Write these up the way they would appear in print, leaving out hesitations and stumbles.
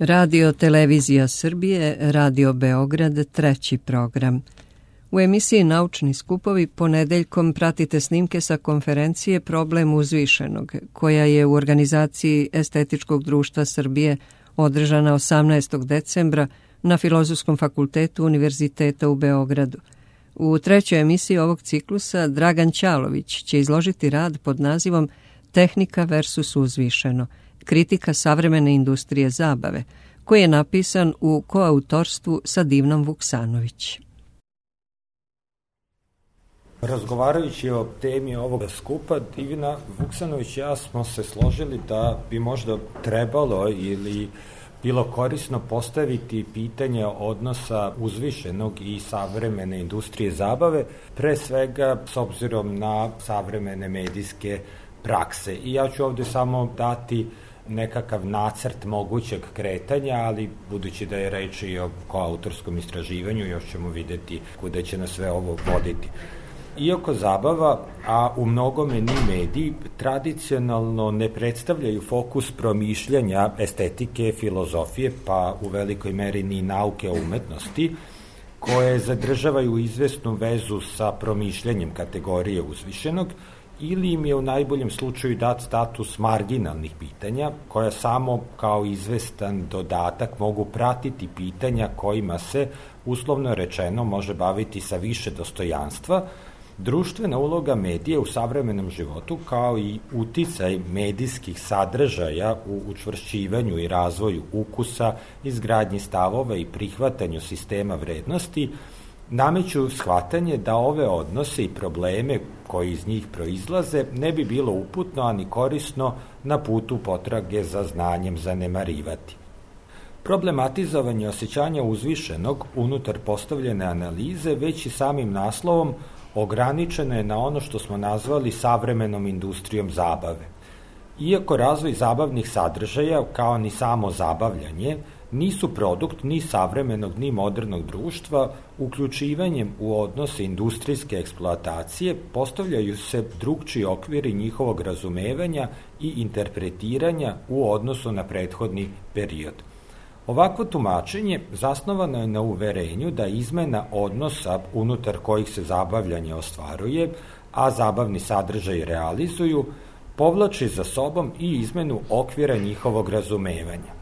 Radio Televizija Srbije, Radio Beograd, treći program. U emisiji Naučni skupovi ponedeljkom pratite snimke sa konferencije Problem uzvišenog, koja je u organizaciji Estetičkog društva Srbije održana 18. decembra na Filozofskom fakultetu Univerziteta u Beogradu. U trećoj emisiji ovog ciklusa Dragan Ćalović će izložiti rad pod nazivom Tehnika versus uzvišeno, kritika savremene industrije zabave, koji je napisan u koautorstvu sa Divnom Vuksanović. Razgovarajući o temi ovoga skupa, Divina Vuksanović i ja smo se složili da bi možda trebalo ili bilo korisno postaviti pitanje odnosa uzvišenog i savremene industrije zabave, pre svega s obzirom na savremene medijske prakse. I ja ću ovde samo dati nekakav nacrt mogućeg kretanja, ali budući da je reč i o koautorskom istraživanju, još ćemo videti kuda će nas sve ovo voditi. Iako zabava, a u mnogome ni mediji, tradicionalno ne predstavljaju fokus promišljanja estetike, filozofije, pa u velikoj meri ni nauke o umetnosti, koje zadržavaju izvesnu vezu sa promišljanjem kategorije uzvišenog, ili im je u najboljem slučaju dat status marginalnih pitanja, koja samo kao izvestan dodatak mogu pratiti pitanja kojima se, uslovno rečeno, može baviti sa više dostojanstva. Društvena uloga medija u savremenom životu, kao i uticaj medijskih sadržaja u učvršćivanju i razvoju ukusa, izgradnji stavova i prihvatanju sistema vrednosti, nameću shvatanje da ove odnose i probleme koji iz njih proizlaze ne bi bilo uputno ani korisno na putu potrage za znanjem zanemarivati. Problematizovanje osjećanja uzvišenog unutar postavljene analize već i samim naslovom ograničeno je na ono što smo nazvali savremenom industrijom zabave. Iako razvoj zabavnih sadržaja, kao ni samo zabavljanje, nisu produkt ni savremenog ni modernog društva, uključivanjem u odnose industrijske eksploatacije postavljaju se drugčiji okviri njihovog razumevanja i interpretiranja u odnosu na prethodni period. Ovakvo tumačenje zasnovano je na uverenju da izmena odnosa unutar kojih se zabavljanje ostvaruje, a zabavni sadržaj realizuju, povlači za sobom i izmenu okvira njihovog razumevanja.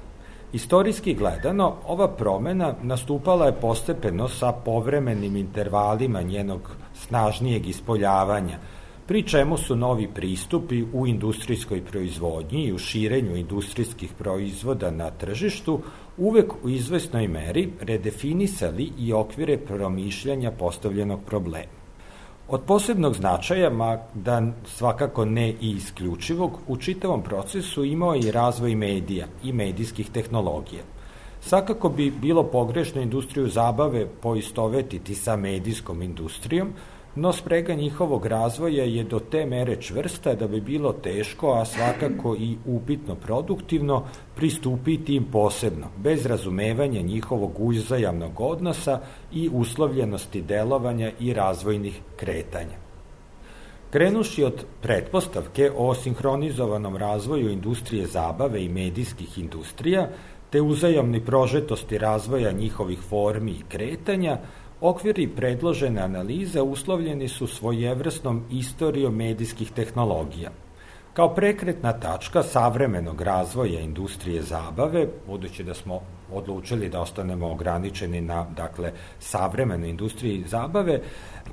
Istorijski gledano, ova promena nastupala je postepeno sa povremenim intervalima njenog snažnijeg ispoljavanja, pri čemu su novi pristupi u industrijskoj proizvodnji i u širenju industrijskih proizvoda na tržištu uvek u izvesnoj meri redefinisali i okvire promišljanja postavljenog problema. Od posebnog značaja, mada svakako ne i isključivog, u čitavom procesu imao je i razvoj medija i medijskih tehnologija. Svakako bi bilo pogrešno industriju zabave poistovetiti sa medijskom industrijom, no sprega njihovog razvoja je do te mere čvrsta da bi bilo teško, a svakako i upitno produktivno, pristupiti im posebno, bez razumevanja njihovog uzajamnog odnosa i uslovljenosti delovanja i razvojnih kretanja. Krenuši od pretpostavke o sinhronizovanom razvoju industrije zabave i medijskih industrija, te uzajamnoj prožetosti razvoja njihovih formi i kretanja, okviri predložene analize uslovljeni su svojevrsnom istorijom medijskih tehnologija. Kao prekretna tačka savremenog razvoja industrije zabave, budući da smo odlučili da ostanemo ograničeni na, savremenoj industriji zabave,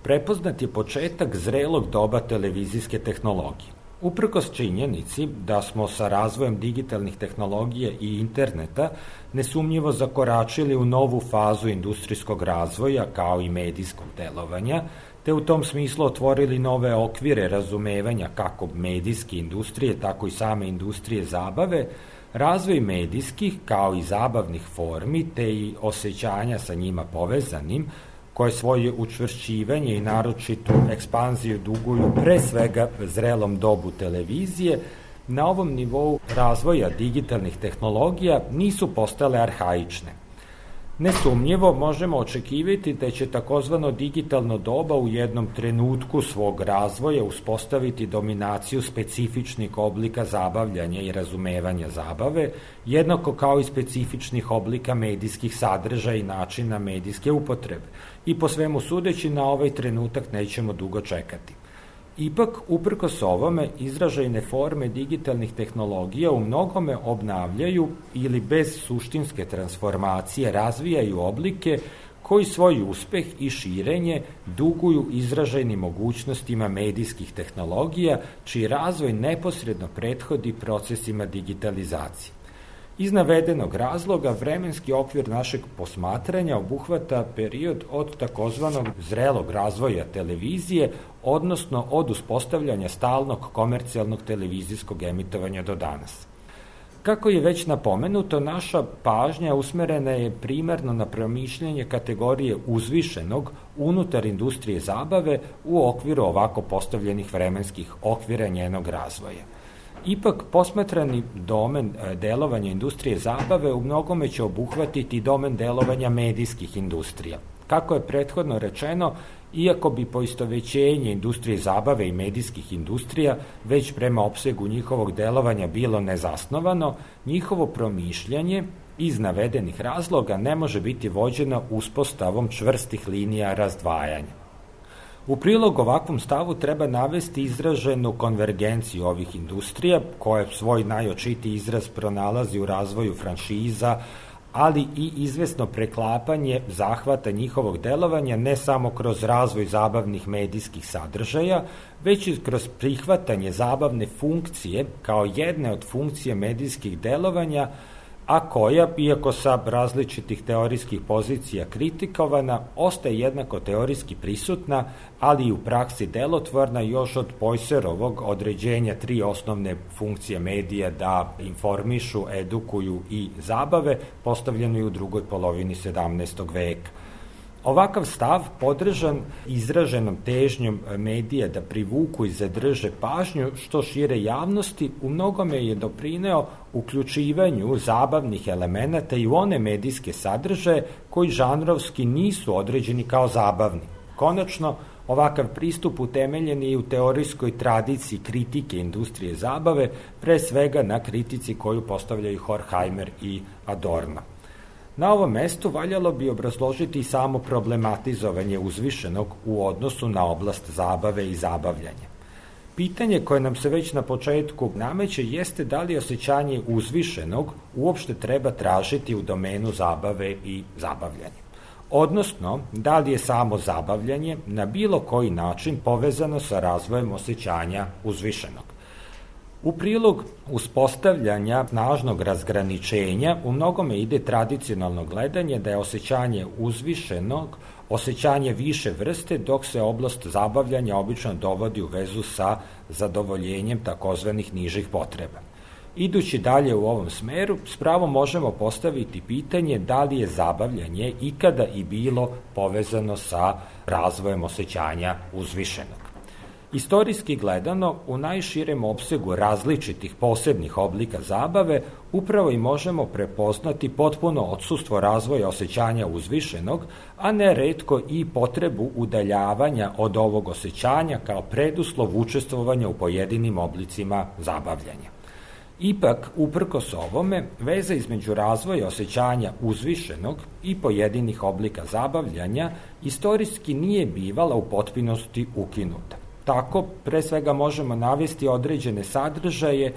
prepoznat je početak zrelog doba televizijske tehnologije. Uprkos činjenici da smo sa razvojem digitalnih tehnologija i interneta nesumnjivo zakoračili u novu fazu industrijskog razvoja kao i medijskog delovanja, te u tom smislu otvorili nove okvire razumevanja kako medijske industrije, tako i same industrije zabave, razvoj medijskih kao i zabavnih formi, te i osjećanja sa njima povezanim, koje svoje učvršćivanje i naročitu ekspanziju duguju pre svega zrelom dobu televizije, na ovom nivou razvoja digitalnih tehnologija nisu postale arhaične. Nesumnjivo možemo očekivati da će takozvano digitalno doba u jednom trenutku svog razvoja uspostaviti dominaciju specifičnih oblika zabavljanja i razumevanja zabave, jednako kao i specifičnih oblika medijskih sadržaja i načina medijske upotrebe. I po svemu sudeći na ovaj trenutak nećemo dugo čekati. Ipak, uprkos ovome, izražajne forme digitalnih tehnologija u mnogome obnavljaju ili bez suštinske transformacije razvijaju oblike koji svoj uspeh i širenje duguju izražajnim mogućnostima medijskih tehnologija, čiji razvoj neposredno prethodi procesima digitalizacije. Iz navedenog razloga vremenski okvir našeg posmatranja obuhvata period od takozvanog zrelog razvoja televizije, odnosno od uspostavljanja stalnog komercijalnog televizijskog emitovanja do danas. Kako je već napomenuto, naša pažnja usmerena je primarno na promišljanje kategorije uzvišenog unutar industrije zabave u okviru ovako postavljenih vremenskih okvira njenog razvoja. Ipak, posmatrani domen delovanja industrije zabave u mnogome će obuhvatiti domen delovanja medijskih industrija. Kako je prethodno rečeno, iako bi poistovećenje industrije zabave i medijskih industrija već prema opsegu njihovog delovanja bilo nezasnovano, njihovo promišljanje iz navedenih razloga ne može biti vođeno uspostavom čvrstih linija razdvajanja. U prilog ovakvom stavu treba navesti izraženu konvergenciju ovih industrija, koje svoj najočitiji izraz pronalazi u razvoju franšiza, ali i izvesno preklapanje zahvata njihovog delovanja ne samo kroz razvoj zabavnih medijskih sadržaja, već i kroz prihvatanje zabavne funkcije kao jedne od funkcije medijskih delovanja, a koja, iako sa različitih teorijskih pozicija kritikovana, ostaje jednako teorijski prisutna, ali i u praksi delotvorna još od Poisserovog određenja 3 osnovne funkcije medija da informišu, edukuju i zabave, postavljeno i u drugoj polovini 17. veka. Ovakav stav, podržan izraženom težnjom medija da privuku i zadrže pažnju što šire javnosti, u mnogome je doprineo uključivanju zabavnih elemenata i u one medijske sadržaje koji žanrovski nisu određeni kao zabavni. Konačno, ovakav pristup utemeljen je i u teorijskoj tradiciji kritike industrije zabave, pre svega na kritici koju postavljaju Horkheimer i Adorno. Na ovom mestu valjalo bi obrazložiti samo problematizovanje uzvišenog u odnosu na oblast zabave i zabavljanja. Pitanje koje nam se već na početku nameće jeste da li osjećanje uzvišenog uopšte treba tražiti u domenu zabave i zabavljanja. Odnosno, da li je samo zabavljanje na bilo koji način povezano sa razvojem osjećanja uzvišenog. U prilog uspostavljanja snažnog razgraničenja u mnogome ide tradicionalno gledanje da je osjećanje uzvišenog osjećanje više vrste, dok se oblast zabavljanja obično dovodi u vezu sa zadovoljenjem takozvanih nižih potreba. Idući dalje u ovom smeru, s pravom možemo postaviti pitanje da li je zabavljanje ikada i bilo povezano sa razvojem osjećanja uzvišenog. Istorijski gledano, u najširem opsegu različitih posebnih oblika zabave upravo i možemo prepoznati potpuno odsustvo razvoja osjećanja uzvišenog, a ne retko i potrebu udaljavanja od ovog osjećanja kao preduslov učestvovanja u pojedinim oblicima zabavljanja. Ipak, uprkos ovome, veza između razvoja osjećanja uzvišenog i pojedinih oblika zabavljanja istorijski nije bivala u potpunosti ukinuta. Tako, pre svega možemo navesti određene sadržaje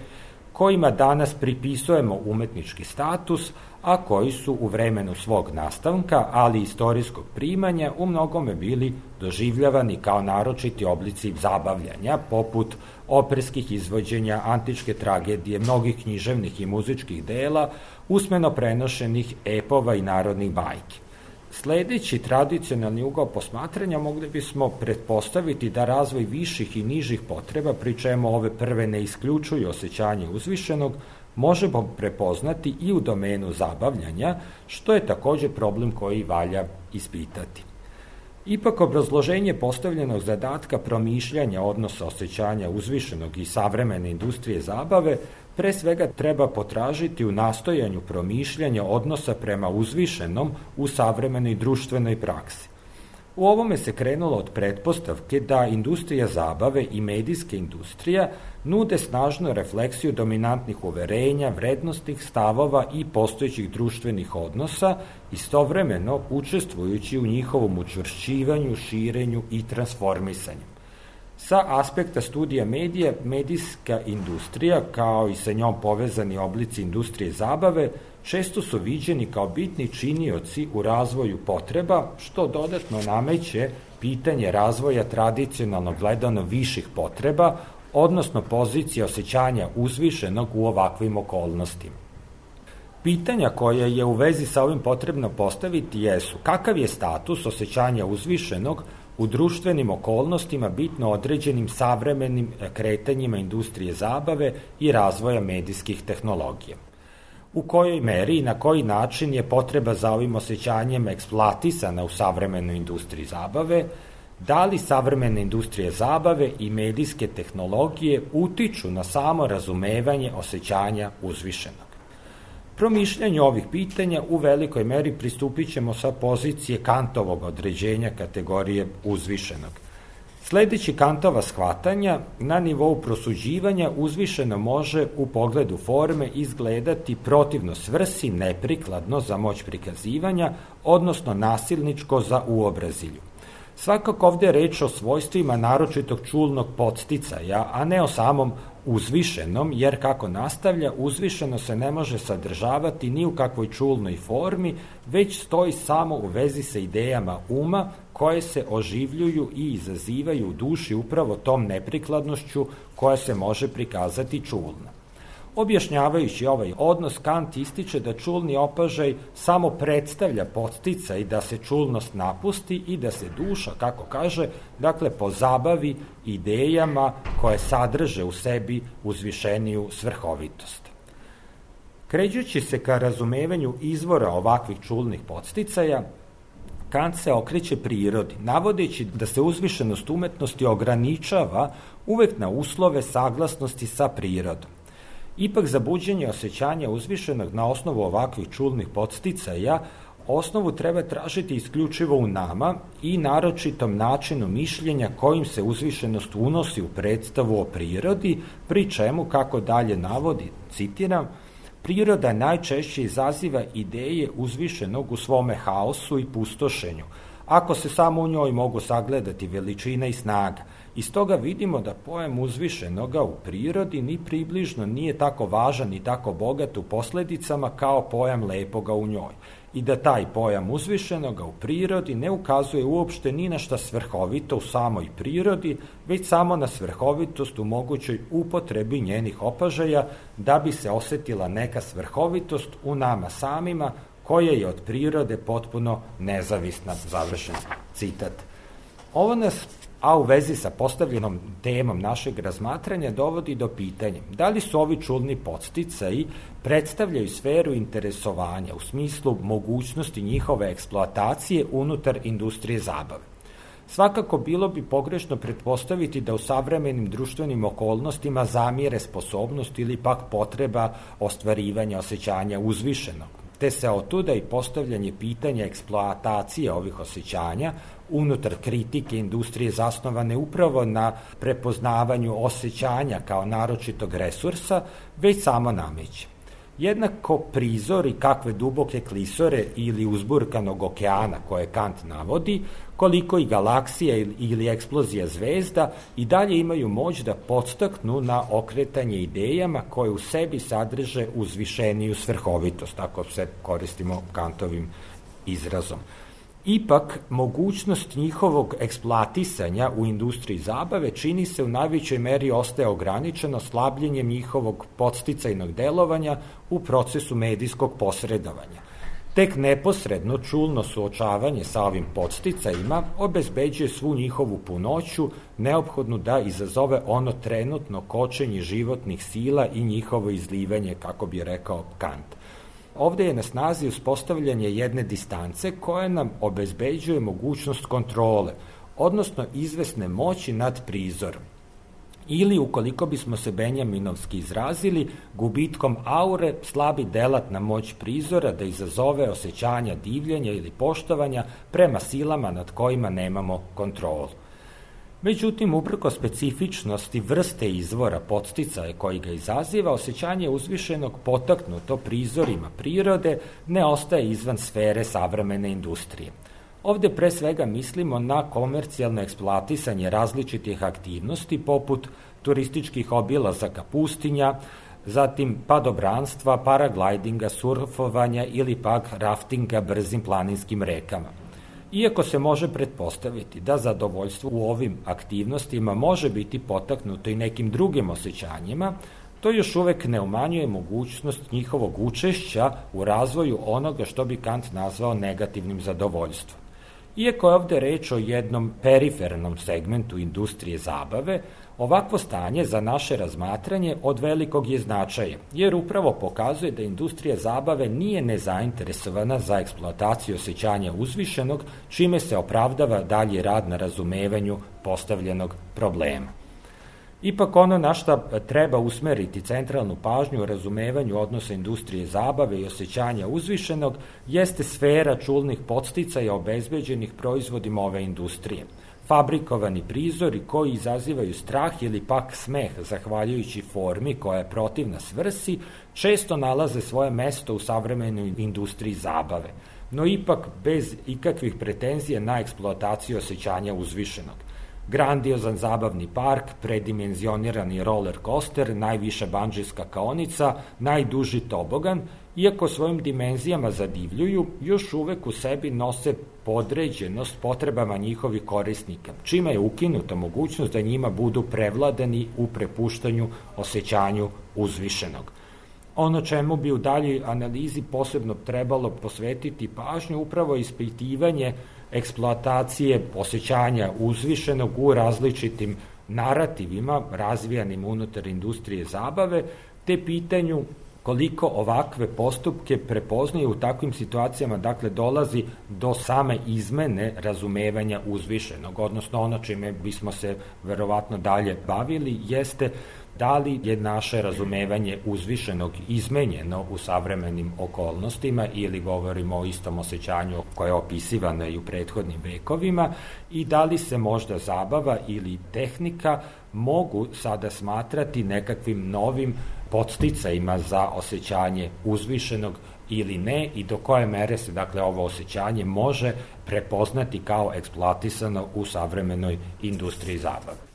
kojima danas pripisujemo umetnički status, a koji su u vremenu svog nastanka, ali i istorijskog primanja, u mnogome bili doživljavani kao naročiti oblici zabavljanja, poput operskih izvođenja, antičke tragedije, mnogih književnih i muzičkih dela, usmeno prenošenih epova i narodnih bajki. Sledeći tradicionalni ugao posmatranja mogli bismo pretpostaviti da razvoj viših i nižih potreba, pri čemu ove prve ne isključuju osjećanje uzvišenog, možemo prepoznati i u domenu zabavljanja, što je takođe problem koji valja ispitati. Ipak, obrazloženje postavljenog zadatka promišljanja odnosa osjećanja uzvišenog i savremene industrije zabave pre svega treba potražiti u nastojanju promišljanja odnosa prema uzvišenom u savremenoj društvenoj praksi. U ovome se krenulo od pretpostavke da industrija zabave i medijska industrija nude snažnu refleksiju dominantnih uverenja, vrednostnih stavova i postojećih društvenih odnosa, istovremeno učestvujući u njihovom učvršćivanju, širenju i transformisanju. Sa aspekta studija medija, medijska industrija, kao i sa njom povezani oblici industrije zabave, često su viđeni kao bitni činioci u razvoju potreba, što dodatno nameće pitanje razvoja tradicionalno gledano viših potreba, odnosno pozicije osjećanja uzvišenog u ovakvim okolnostima. Pitanja koja je u vezi sa ovim potrebno postaviti jesu kakav je status osjećanja uzvišenog u društvenim okolnostima bitno određenim savremenim kretanjima industrije zabave i razvoja medijskih tehnologija. U kojoj meri i na koji način je potreba za ovim osjećanjem eksploatisana u savremenoj industriji zabave, da li savremene industrije zabave i medijske tehnologije utiču na samo razumevanje osjećanja uzvišenog. Promišljanju ovih pitanja u velikoj meri pristupit ćemo sa pozicije Kantovog određenja kategorije uzvišenog. Sledeći Kantova shvatanja, na nivou prosuđivanja uzvišeno može u pogledu forme izgledati protivno svrsi, neprikladno za moć prikazivanja, odnosno nasilničko za uobrazilju. Svakako ovde je reč o svojstvima naročitog čulnog podsticaja, a ne o samom uzvišenom, jer kako nastavlja, uzvišeno se ne može sadržavati ni u kakvoj čulnoj formi, već stoji samo u vezi sa idejama uma koje se oživljuju i izazivaju u duši upravo tom neprikladnošću koja se može prikazati čulno. Objašnjavajući ovaj odnos, Kant ističe da čulni opažaj samo predstavlja podsticaj da se čulnost napusti i da se duša, kako kaže, dakle pozabavi idejama koje sadrže u sebi uzvišeniju svrhovitost. Krećući se ka razumevanju izvora ovakvih čulnih podsticaja, Kant se okreće prirodi, navodeći da se uzvišenost umetnosti ograničava uvek na uslove saglasnosti sa prirodom. Ipak za buđenje osjećanja uzvišenog na osnovu ovakvih čulnih podsticaja osnovu treba tražiti isključivo u nama i naročitom načinu mišljenja kojim se uzvišenost unosi u predstavu o prirodi, pri čemu, kako dalje navodi, citiram, priroda najčešće izaziva ideje uzvišenog u svome haosu i pustošenju, ako se samo u njoj mogu sagledati veličina i snaga. Iz toga vidimo da pojam uzvišenoga u prirodi ni približno nije tako važan i tako bogat u posledicama kao pojam lepoga u njoj i da taj pojam uzvišenoga u prirodi ne ukazuje uopšte ni na šta svrhovito u samoj prirodi, već samo na svrhovitost u mogućoj upotrebi njenih opažaja da bi se osetila neka svrhovitost u nama samima koja je od prirode potpuno nezavisna, završen citat. Ovo nas, a u vezi sa postavljenom temom našeg razmatranja, dovodi do pitanja da li su ovi čulni podsticaji predstavljaju sferu interesovanja u smislu mogućnosti njihove eksploatacije unutar industrije zabave. Svakako bilo bi pogrešno pretpostaviti da u savremenim društvenim okolnostima zamire sposobnost ili pak potreba ostvarivanja osjećanja uzvišenog, te se otuda i postavljanje pitanja eksploatacije ovih osjećanja unutar kritike industrije zasnovane upravo na prepoznavanju osjećanja kao naročitog resursa, već samo nameće. Jednako prizori kakve duboke klisore ili uzburkanog okeana koje Kant navodi, koliko i galaksija ili eksplozija zvezda i dalje imaju moć da podstaknu na okretanje idejama koje u sebi sadrže uzvišeniju svrhovitost, ako se koristimo Kantovim izrazom. Ipak, mogućnost njihovog eksploatisanja u industriji zabave čini se u najvećoj meri ostaje ograničeno slabljenjem njihovog podsticajnog delovanja u procesu medijskog posredovanja. Tek neposredno čulno suočavanje sa ovim podsticajima obezbeđuje svu njihovu punoću, neophodnu da izazove ono trenutno kočenje životnih sila i njihovo izlivanje, kako bi rekao Kant. Ovde je na snazi uspostavljanje jedne distance koja nam obezbeđuje mogućnost kontrole, odnosno izvesne moći nad prizorom. ili, ukoliko bismo se benjaminovski izrazili, gubitkom aure slabi delatna moć prizora da izazove osjećanja divljenja ili poštovanja prema silama nad kojima nemamo kontrolu. Međutim, uprkos specifičnosti vrste izvora podsticaja koji ga izaziva, osjećanje uzvišenog potaknuto prizorima prirode ne ostaje izvan sfere savremene industrije. Ovde pre svega mislimo na komercijalno eksploatisanje različitih aktivnosti poput turističkih obilazaka pustinja, zatim padobranstva, paraglajdinga, surfovanja ili pak raftinga brzim planinskim rekama. Iako se može pretpostaviti da zadovoljstvo u ovim aktivnostima može biti potaknuto i nekim drugim osjećanjima, to još uvek ne umanjuje mogućnost njihovog učešća u razvoju onoga što bi Kant nazvao negativnim zadovoljstvom. Iako je ovde reč o jednom perifernom segmentu industrije zabave, ovakvo stanje za naše razmatranje od velikog je značaja, jer upravo pokazuje da industrija zabave nije nezainteresovana za eksploataciju osjećanja uzvišenog, čime se opravdava dalji rad na razumevanju postavljenog problema. Ipak ono na šta treba usmeriti centralnu pažnju u razumevanju odnosa industrije zabave i osjećanja uzvišenog jeste sfera čulnih podsticaja obezbeđenih proizvodima ove industrije. Fabrikovani prizori koji izazivaju strah ili pak smeh zahvaljujući formi koja je protivna svrsi često nalaze svoje mesto u savremenoj industriji zabave, no ipak bez ikakvih pretenzija na eksploataciju osjećanja uzvišenog. Grandiozan zabavni park, predimenzionirani roller coaster, najviša bandžijska kaonica, najduži tobogan, iako svojim dimenzijama zadivljuju, još uvek u sebi nose podređenost potrebama njihovih korisnika, čime je ukinuta mogućnost da njima budu prevladani u prepuštanju osjećanju uzvišenog. Ono čemu bi u daljoj analizi posebno trebalo posvetiti pažnju upravo ispitivanje eksploatacije osjećanja uzvišenog u različitim narativima razvijanim unutar industrije zabave, te pitanju koliko ovakve postupke prepoznaju u takvim situacijama, dakle dolazi do same izmene razumevanja uzvišenog, odnosno ono čime bismo se verovatno dalje bavili jeste da li je naše razumevanje uzvišenog izmenjeno u savremenim okolnostima ili govorimo o istom osjećanju koje je opisivano i u prethodnim vekovima i da li se možda zabava ili tehnika mogu sada smatrati nekakvim novim podsticajima za osjećanje uzvišenog ili ne i do koje mere se dakle ovo osjećanje može prepoznati kao eksploatisano u savremenoj industriji zabave.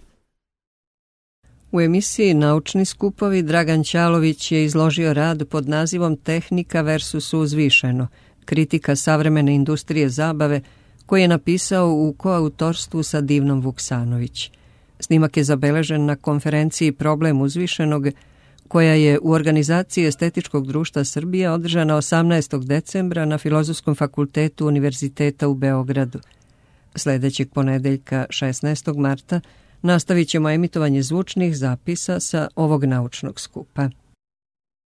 U emisiji Naučni skupovi Dragan Ćalović je izložio rad pod nazivom Tehnika versus uzvišeno, kritika savremene industrije zabave, koji je napisao u koautorstvu sa Divnom Vuksanović. Snimak je zabeležen na konferenciji Problem uzvišenog, koja je u organizaciji Estetičkog društva Srbije održana 18. decembra na Filozofskom fakultetu Univerziteta u Beogradu. Sledećeg ponedeljka, 16. marta, nastavit ćemo emitovanje zvučnih zapisa sa ovog naučnog skupa.